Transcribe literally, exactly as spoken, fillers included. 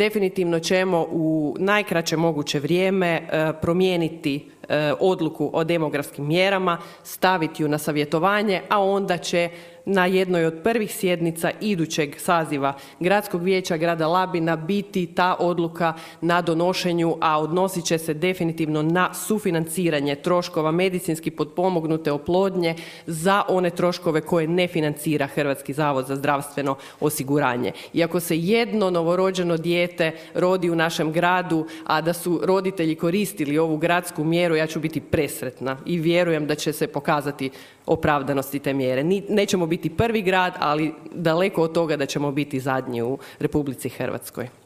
definitivno ćemo u najkraće moguće vrijeme promijeniti odluku o demografskim mjerama, staviti ju na savjetovanje, a onda će na jednoj od prvih sjednica idućeg saziva Gradskog vijeća grada Labina biti ta odluka na donošenju, a odnosit će se definitivno na sufinanciranje troškova medicinski potpomognute oplodnje za one troškove koje ne financira Hrvatski zavod za zdravstveno osiguranje. I ako se jedno novorođeno dijete rodi u našem gradu, a da su roditelji koristili ovu gradsku mjeru, ja ću biti presretna i vjerujem da će se pokazati opravdanosti te mjere. Nećemo biti prvi grad, ali daleko od toga da ćemo biti zadnji u Republici Hrvatskoj.